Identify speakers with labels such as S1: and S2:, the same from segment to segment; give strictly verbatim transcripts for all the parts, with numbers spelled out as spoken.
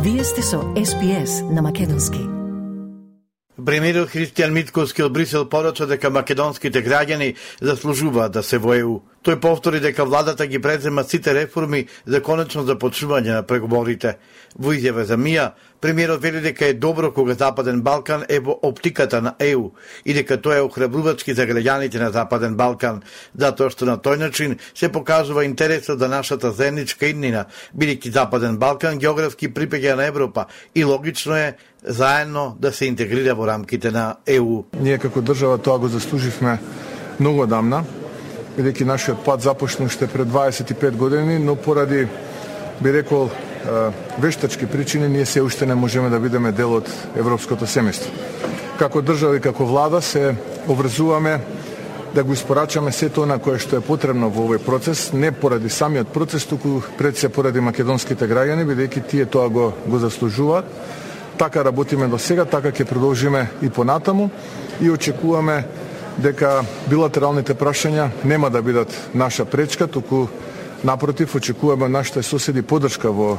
S1: Вие сте со Ес Би Ес на македонски.
S2: Премиерот Христијан Мицкоски од Брисел порача дека македонските граѓани заслужуваат да се во Е У. Тој повтори дека владата ги презема сите реформи за конечно започнување на преговорите. Во изјава за МИА, премиерот вели дека е добро кога Западен Балкан е во оптиката на Е У и дека тоа е охрабрувачки за граѓаните на Западен Балкан, затоа што на тој начин се покажува интересот за нашата заедничка иднина, бидејќи Западен Балкан географски припаѓа на Европа и логично е заедно да се интегрира во рамките на Е У.
S3: Ние како држава тоа го заслуживме многу одамна, бидејќи нашиот пат започна уште пред дваесет и пет години, но поради, би рекол, вештачки причини, ние се уште не можеме да бидеме дел од европското семејство. Како држава и како влада се обврзуваме да го испорачаме сето она кое што е потребно во овој процес, не поради самиот процес, туку пред се поради македонските граѓани, бидејќи тие тоа го, го заслужуваат. Така работиме до сега, така ќе продолжиме и понатаму и очекуваме дека билатералните прашања нема да бидат наша пречка, туку напротив очекуваме нашите соседи поддршка во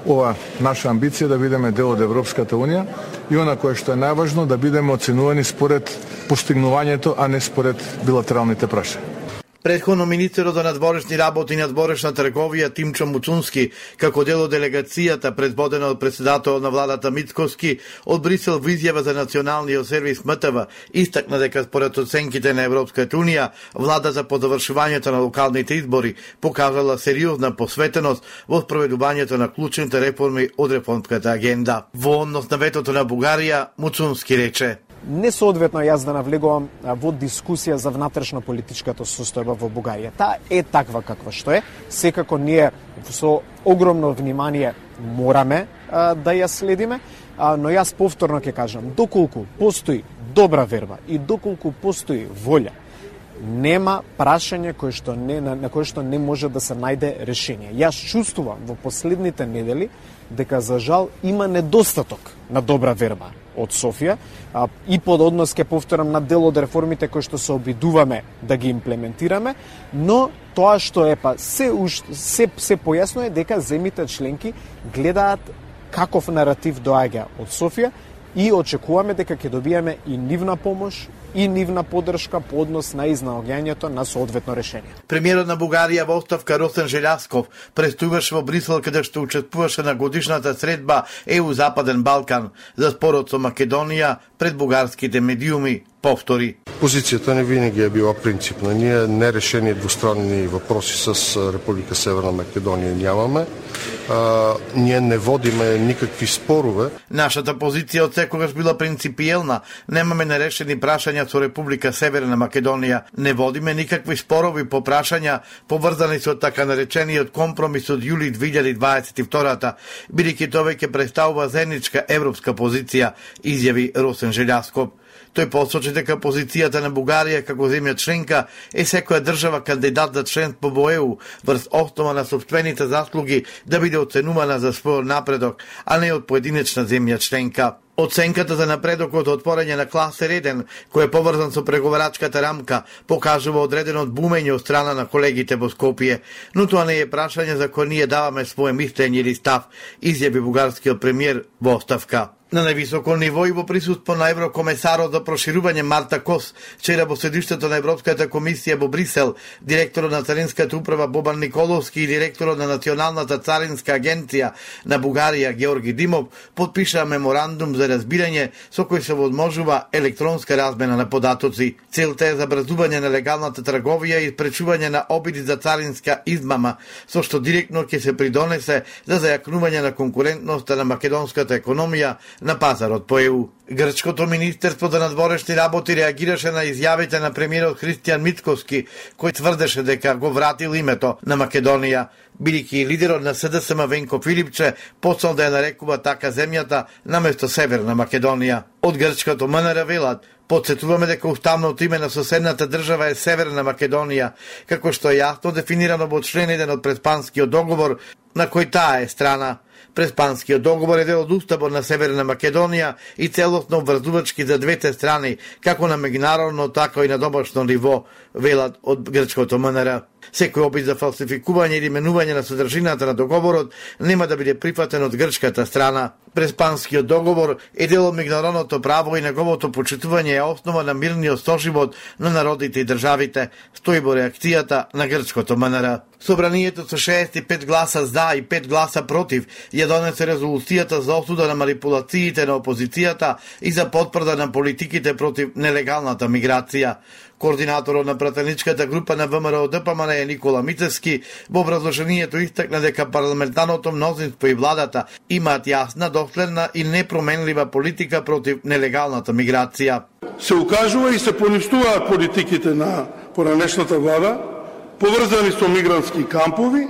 S3: ова наша амбиција да бидеме дел од Европската Унија и она кое што е најважно да бидеме оценувани според постигнувањето, а не според билатералните прашања.
S2: Претходно министерот за надворешни работи и надворешна трговија Тимчо Муцунски, како дел од делегацијата предводена од председателот на владата Мицкоски, од Брисел во изјава за националниот сервис М Т В, истакна дека според оценките на Европската Унија, владата по завршувањето на локалните избори покажала сериозна посветеност во спроведувањето на клучните реформи од реформската агенда. Во однос на ветото на Бугарија, Муцунски рече:
S4: Несоодветно јас да навлегувам во дискусија за внатрешно политичката состојба во Бугарија. Таа е таква каква што е. Секако ние со огромно внимание мораме а, да ја следиме, а, но јас повторно ќе кажам, доколку постои добра верба и доколку постои волја, нема прашање кое што не, на, на кое што не може да се најде решение. Јас чувствувам во последните недели дека за жал има недостаток на добра верба од Софија а, и под однос ке повторам на дел од реформите кои што се обидуваме да ги имплементираме, но тоа што е па се се се појасно е дека земите членки гледаат каков наратив доаѓа од Софија и очекуваме дека ќе добиеме и нивна помош и нивна поддршка по однос на изнаоѓањето на соодветно решение.
S2: Премиерот на Бугарија во оставка Росен Желјасков престојуваше во Брисел каде што учествуваше на годишната средба Е У Западен Балкан за спорот со Македонија пред бугарските медиуми. Повтори:
S5: Позицијата не винаги е била принципна. Ние нерешени двустранни въпроси с Република Северна Македонија нямаме. А, ние не водиме никакви спорове.
S2: Нашата позиција од секогаш била принципиелна. Немаме нерешени прашања со Република Северна Македонија. Не водиме никакви спорови по прашања поврзани со така наречениот компромис од јули две илјади дваесет и втора, бидејќи тоа ќе представува заедничка европска позиција, изјави Росен Желјасков. Тој посочи дека позицијата на Бугарија како земја членка е секоја држава кандидат за членство во Е У врз основа на сопствените заслуги да биде оценувана за својот напредок, а не од поединечна земја членка. Оценката за напредокот од отворање на класер еден, кој е поврзан со преговарачката рамка, покажува одредено бумење од страна на колегите во Скопје, но тоа не е прашање за кој ние даваме своje мислење или став, изјави бугарскиот премиер во оставка. На највисоко ниво и во присуство на еврокомесарот за проширување Марта Кос, вчера во седиште на Европската комисија во Брисел, директорот на Царинската управа Бобан Николовски и директорот на Националната царинска агенција на Бугарија Георги Димов потпишаа меморандум за разбирање со кој се возможува електронска размена на податоци. Целта е забрзување на легалната трговија и спречување на обиди за царинска измама, со што директно ќе се придонесе за зајакнување на конкурентноста на македонската економија на пазарот по Е У. Грчкото министерство за надворешни работи реагираше на изјавите на премиерот Христијан Мицкоски, кој тврдеше дека го вратил името на Македонија, бидејќи лидерот на С Д С М Венко Филипче почнал да ја нарекува така земјата наместо Северна Македонија. Од грчкото М Н Р велат: Потсетуваме дека уставното име на соседната држава е Северна Македонија, како што е јасно дефинирано во член еден од Преспанскиот договор, на кој таа е страна. Преспанскиот договор е дел од уставот на Северна Македонија и целосно обврзувачки за двете страни, како на меѓународно, така и на домашно ниво, велат од грчкото М Н Р. Секој обид за фалсификување или менување на содржината на договорот нема да биде прифатен од грчката страна. Преспанскиот договор е дел од меѓународното право и неговото почитување е основа на мирниот соживот на народите и државите, стои во реакцијата на грчкото М Н Р. Собранието со шеесет и пет гласа за и пет гласа против ја донесе резолуцијата за осуда на манипулациите на опозицијата и за потврда на политиките против нелегалната миграција. Координаторот на пратеничката група на В М Р Д П М Н е Никола Мицевски во образложението истакна дека парламентарното мнозинство и владата имаат јасна, доследна и непроменлива политика против нелегалната миграција.
S6: Се укажува и се поништуваат политиките на поранешната влада, поврзани со мигрантски кампови,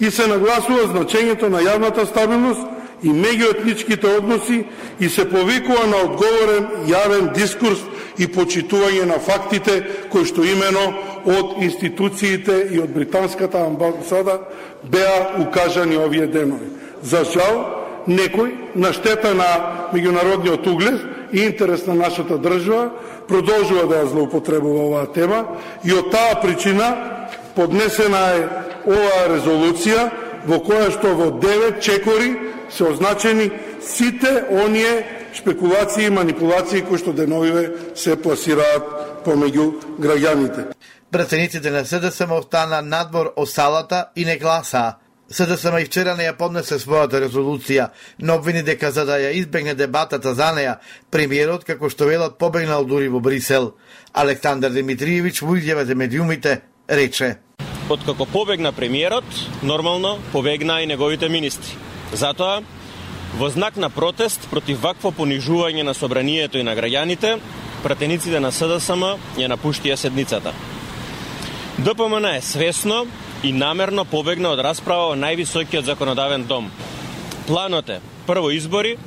S6: и се нагласува значењето на јавната стабилност и меѓуетничките односи и се повикува на одговорен јавен дискурс и почитување на фактите кои што имено од институциите и од британската амбасада беа укажани овие денови. За жал, некој на штета на меѓународниот углед и интерес на нашата држава продолжува да ја злоупотребува оваа тема и од таа причина поднесена е оваа резолуција во која што во девет чекори се означени сите оние шпекулации и манипулации кои што деновиве се пласираат помеѓу граѓаните.
S2: Пратениците на С Д С М остана надвор од салата и не гласаа. С Д С М и вчера не ја поднесе својата резолуција, но обвини дека за да ја избегне дебатата за неја, премиерот, како што велат, побегнал дури во Брисел. Александар Димитриевич во изјава за медиумите рече:
S7: Откако побегна премиерот, нормално побегна и неговите министри. Затоа, во знак на протест против вакво понижување на собранието и на граѓаните, пратениците на С Д С М ја напуштија седницата. Д П М Н е свесно и намерно побегна од расправа во највисокиот законодавен дом. Планот е прво избори,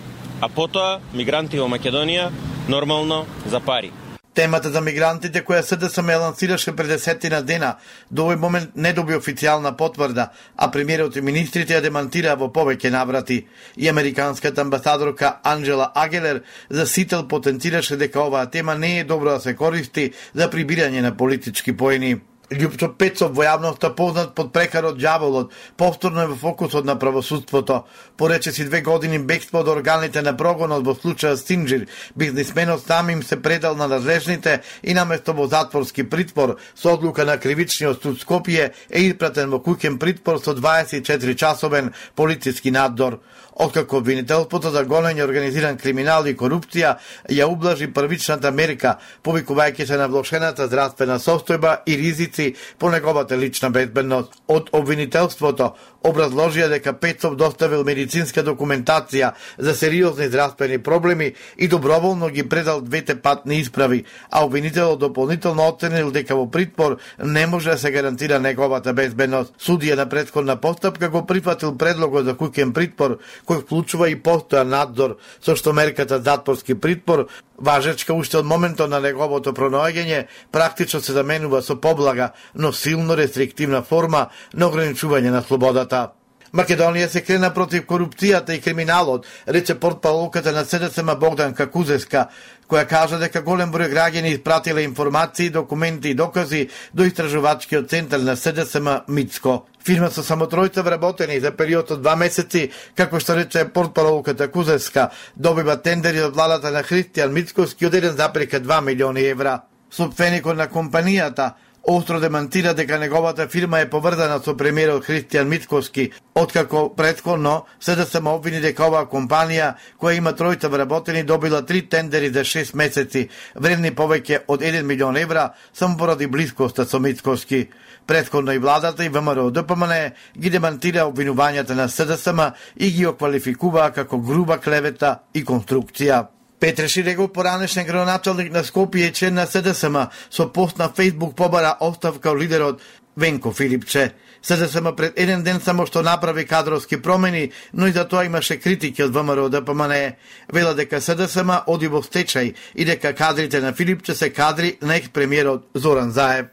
S7: а потоа мигранти во Македонија, нормално за пари.
S2: Темата за мигрантите која С Д С М ја лансираше пред десетина дена, до овој момент не доби официјална потврда, а премиерот и министрите ја демантираа во повеќе наврати. И американската амбасадорка Анджела Агелер за Сител потенцираше дека оваа тема не е добро да се користи за прибирање на политички поени. Љупчо Пецов во јавноста познат под прекарот Ѓаволот, повторно е во фокусот на правосудството. Порече си две години бегство од органите на прогонот во случајот Синџир, бизнисменот сам им се предал на надлежните и наместо во затворски притвор со одлука на кривичниот суд Скопје е испратен во куќен притвор со дваесет и четири часовен полициски надзор. Откако обвинителството за гонење организиран криминал и корупција ја ублажи првичната мерка, повикувајќи се на влошената здравствена состојба и ризици по неговата лична безбедност. Од обвинителството образложија дека Пецов доставил медицинска документација за сериозни здравствени проблеми и доброволно ги предал двете патни исправи, а обвинителот дополнително оценил дека во притвор не може да се гарантира неговата безбедност. Судија на претходна постапка го прифатил предлогот за куќен притвор, кој вклучува и постојан надзор, со што мерката затворски притвор, важечка уште од моментот на неговото пронаоѓање, практично се заменува со поблага, но силно рестриктивна форма на ограничување на слободата. Македонија се крена против корупцијата и криминалот, рече портпаролката на С Д С М Богданка Кузеска, која кажа дека голем број граѓани испратиле информации, документи и докази до истражувачкиот центар на С Д С М Мицко. Фирма со само тројца вработени за период од два месеци, како што рече портпаролката Кузеска, добива тендери од владата на Христијан Мицковски од еден запирка два милиони евра. Собственикот на компанијата остро демантира дека неговата фирма е поврзана со премиерот Христијан Мицковски, откако претходно С Д С М обвини дека оваа компанија, која има тројца вработени, добила три тендери за шест месеци, вредни повеќе од еден милион евра, само поради блискоста со Мицковски. Претходно и владата и В М Р Д П М Н ги демантира обвинувањата на С Д С М и ги оквалификуваа како груба клевета и конструкција. Петре Ширегов, поранешен градоначалник на Скопје и член на С Д С М, со пост на Фејсбук побара оставка од лидерот Венко Филипче. С Д С М пред еден ден само што направи кадровски промени, но и за тоа имаше критики од В М Р Д П М Н. Вела дека С Д С М оди во стечај и дека кадрите на Филипче се кадри на екс-премиерот Зоран Заев.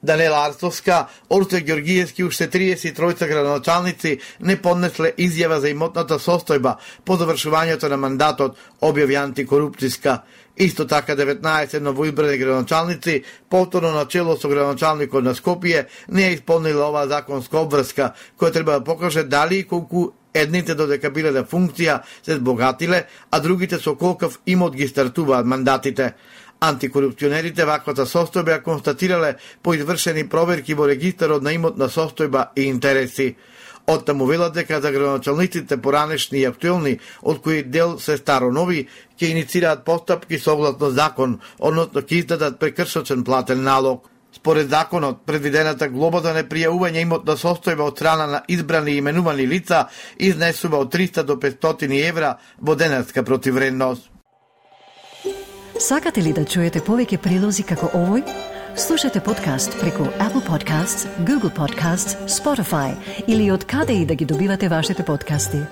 S2: Данела Арцовска, Орце Ѓоргиевски и уште триесет и тројца градоначалници не поднесле изјава за имотната состојба по завршувањето на мандатот, објави антикорупцијска. Исто така деветнаесет новоизбрани градоначалници, повторно на чело со градоначалникот на Скопје, не ја исполнила оваа законска обврска, која треба да покаже дали и колку едните додека биле на функција се збогатиле, а другите со колкав имот ги стартуваат мандатите. Антикорупционерите ваквата состојба ја констатирале по извршени проверки во регистарот на имотна состојба и интереси. Оттаму велат дека за градоначалниците поранешни и актуелни, од кои дел се старо нови, ќе иницираат постапки согласно закон, односно ќе издадат прекршочен платен налог. Според законот, предвидената глоба за непријавување имотна состојба од страна на избрани и именувани лица изнесува од триста до петстотини евра во денарска противвредност.
S1: Сакате ли да чуете повеќе прилози како овој? Слушате подкаст преку Apple Podcasts, Google Podcasts, Spotify или од каде и да ги добивате вашите подкасти.